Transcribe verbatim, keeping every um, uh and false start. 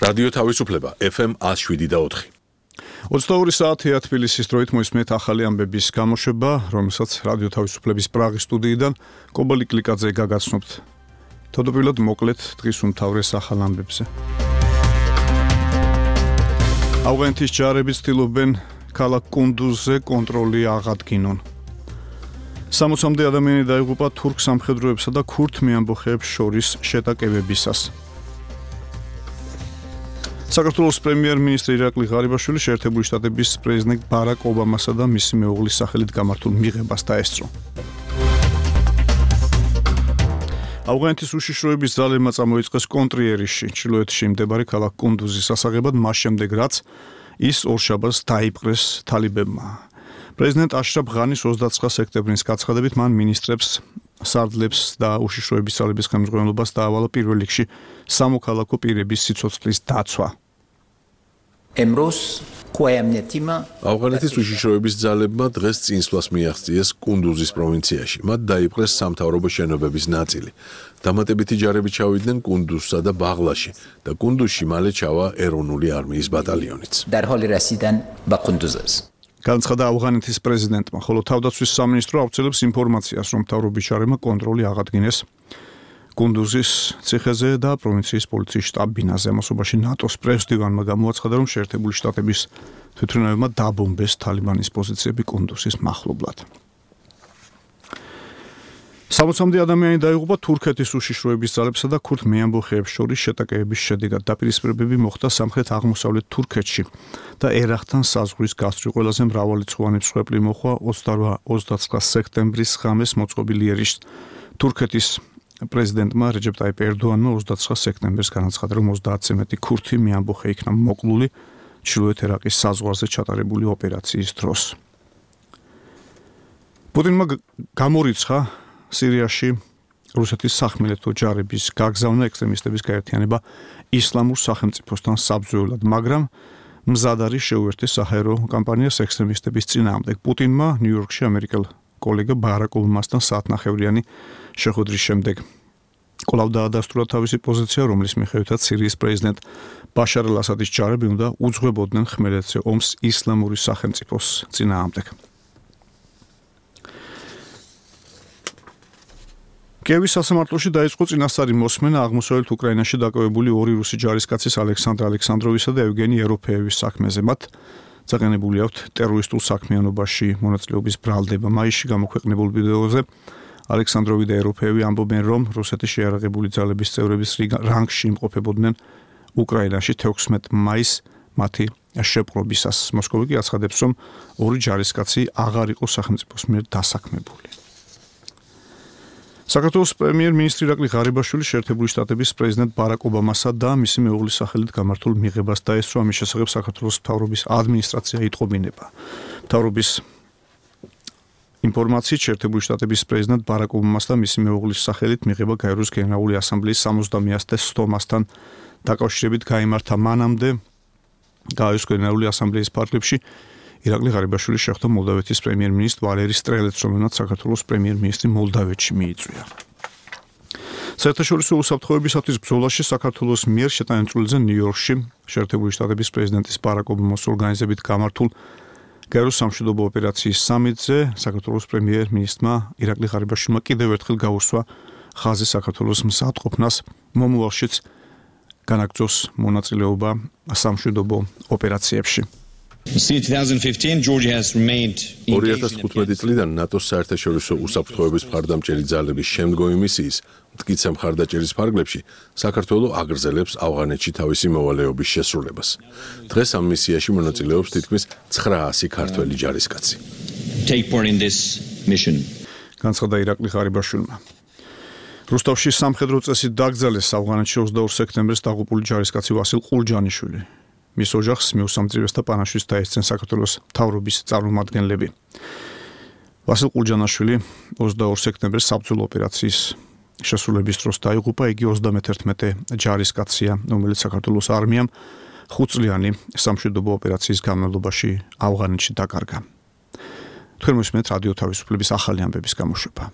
რადიო თავისუფლება ეფ ემ one oh seven და four. ოცდაორი საათია თბილისის დროით მოისმენთ ახალი ამბების გამოშვება, რომელსაც რადიო თავისუფლების პრაღის სტუდიიდან კობალი კლიკაძე გაგაცნობთ. თავდაპირველად მოკლედ დღის უმთავრეს ახალ ამბებზე. ავღანეთის ჯარები ცდილობენ ქალაქ კუნდუზზე კონტროლი აღადგინონ. სამოცამდე ადამიანი დაიღუპა თურქ სამხედროებსა და ქურთ მეამბოხეებს შორის შეტაკებებისას. საქართველოს პრემიერ-მინისტრი ირაკლი ღარიბაშვილი შეერთებული შტატების პრეზიდენტ ბარაკ ობამასა და მისი მეუღლის სახელით გამართულ მიღებას დაესწრო. ავღანეთის უშიშროების ძალებმა წამოიწყეს კონტრიერიშში, ჩრდილოეთში მდებარე ქალაქ კუნდუზის სასაღებად, მას შემდეგ რაც ის ორშაბათს დაიპყრეს თალიბებმა. პრეზიდენტ აშრაფ ღანის ოცდაცხრა სექტემბრის გაცხადებით მან მინისტრებს, სარდლებს და უშიშროების ძალების ხელმძღვანელობას დაავალა პირველ რიგში სამოქალაქო პირების სიცოცხლის დაცვა. ავღანეთის უშიშროების ძალებმა დღეს წინსვლას მიაღწიეს კუნდუზის პროვინციაში. მათ დაიპყრეს სამთავრობო შენობების ნაწილი. დამატებითი ჯარები ჩავიდნენ კუნდუზსა და ბაღლაში და კუნდუზში მალე ჩავა ეროვნული არმიის ბატალიონიც. განცხადა ავღანეთის პრეზიდენტმა, ხოლო თავდაცვის სამინისტრო აუცილებს ინფორმაციას, რომ მთავრობის ჯარებმა კონტროლი აღადგინეს კუნდუზის ციხეზე და პროვინციის პოლიციის შტაბ ბინაზე. ამასობაში ნატოს პრეზიდენტმა გამოაცხადა, რომ შეერთებული შტატების თვითმფრინავებმა დაბომბეს თალიბანის პოზიციები კუნდუზის მახლობლად. სამოცამდე ადამიანი დაიღუპა თურქეთის უშიშროების ძალებსა და ქურთ მეამბოხეებს შორის შეტაკებების შედეგად. დაპირისპირებები მოხდა სამხრეთ-აღმოსავლეთ თურქეთში და ერახთან საზღვრის გასწვრივ. ყველაზე მრავალრიცხოვანი მსხვერპლი მოხდა ოცდაცხრა სექტემბრის ღამეს მოწყობილ იერიშს. თურქეთის პრეზიდენტმა რეჯეპ ტაიპ ერდოანმა ოცდაცხრა სექტემბერს განაცხადა, რომ ოცდაათზე მეტი ქურთი მეამბოხე იქნა მოკლული ჩრდილოეთ ერაყის საზღვარზე ჩატარებული ოპერაციის დროს. პუტინმა გამორიცხა სირიაში რუსეთის სახმელეთო ჯარების გაგზავნა ექსტრემისტების გაერთიანება ისლამურ სახელმწიფოსთან საბრძოლველად, მაგრამ მზად არის შეუერთდეს საჰაერო კამპანიას ექსტრემისტების წინააღმდეგ. პუტინმა ნიუ-იორკში ამერიკელ კოლეგა ბარაკ ობამასთან საათნახევრიანი შეხვედრის შემდეგ კვლავ დაადასტურა თავისი პოზიცია, რომლის მიხედვითაც სირიის პრეზიდენტ ბაშარ ალ-ასადის ჯარები უნდა უძღვებოდნენ ხმელეთზე ომს ისლამური სახელმწიფოს წინააღმდეგ. კიევის სასამართლოში დაიწყო წინასწარი მოსმენა აღმოსავლეთ უკრაინაში დაკავებული ორი რუსი ჯარისკაცის ალექსანდრ ალექსანდროვისა და ევგენი ეროფეევის საქმეზე. მათ წაყენებული აქვთ ტერორისტულ საქმიანობაში მონაწილეობის ბრალდება. მაისში გამოქვეყნებულ ვიდეოზე ალექსანდროვი და ეროფეევი ამბობენ, რომ რუსეთის შეიარაღებული ძალების წევრების რანგში იმყოფებოდნენ უკრაინაში თექვსმეტ მაისს მათი შეპყრობისას. მოსკოვი კი აცხადებს, რომ ორი ჯარისკაცი აღარ იყო სახელმწიფოს მიერ დასაქმებული. საქართველოს პრემიერ-მინისტრი ირაკლი ღარიბაშვილი შეერთებული შტატების პრეზიდენტ ბარაკ ობამასა და მისი მეუღლის სახელით გამართულ მიღებას დაესწრო. ამის შესახებ საქართველოს მთავრობის ადმინისტრაცია იტყობინება. მთავრობის ინფორმაციით შეერთებული შტატების პრეზიდენტ ბარაკ ობამას და მისი მეუღლის სახელით მიღება გაეროს გენერალური ასამბლეის სამოცდამეათე სტომასთან დაკავშირებით გაიმართა. მანამდე გაეროს გენერალური ასამბლეის ფარგლებში ირაკლი ღარიბაშვილი შეხვდა მოლდავეთის პრემიერ-მინისტრ ვალერი სტრელეთს, რომელსაც საქართველოს პრემიერ-მინისტრი მოლდავეთში მიიწვია. საერთაშორისო უსაფრთხოებისათვის ბრძოლაში საქართველოს მიერ შეტანილ წვლილზე ნიუ-იორკში შეერთებული შტატების პრეზიდენტის ბარაკ ობამას ორგანიზებით გამართულ გაეროს სამშვიდობო ოპერაციის სამიტზე საქართველოს პრემიერ-მინისტრმა ირაკლი ღარიბაშვილმა კიდევ ერთხელ გაუსვა ხაზი საქართველოს მზადყოფნას მომავალშიც განაგრძოს მონაწილეობა სამშვიდობო ოპერაციებში. ორი ათას თხუთმეტი წლიდან ნატოს საერთაშორისო უსაფრთხოების მხარდამჭერი ძალების შემდგომი მისიის მტკიცე მხარდაჭერის ფარგლებში საქართველო აგრძელებს ავღანეთში თავისი მოვალეობის შესრულებას. დღეს ამ მისიაში მონაწილეობს თითქმის ცხრაასი ქართველი ჯარისკაცი. განცხადა ირაკლი ღარიბაშვილმა. რუსთავში სამხედრო წესით დაკრძალეს ავღანეთში ოცდაორ სექტემბერს დაღუპული ჯარისკაცი ვასილ ყულჯანიშვილი. მის ოჯახს მიუსამძრივეს და პანაშვიდს დაესწრნენ საქართველოს მთავრობის წარმომადგენლები. ვასილ ყულჯანაშვილი ოცდაორ სექტემბერს საბრძოლო ოპერაციის შესრულების დროს დაიღუპა. იგი ოცდამეთერთმეტე ჯარისკაცია, რომელიც საქართველოს არმიამ ხუთწლიანი სამშვიდობო ოპერაციის განმავლობაში ავღანეთში დაკარგა. თქვენ მოსმენთ რადიო თავისუფლების ახალი ამბების გამოშვება.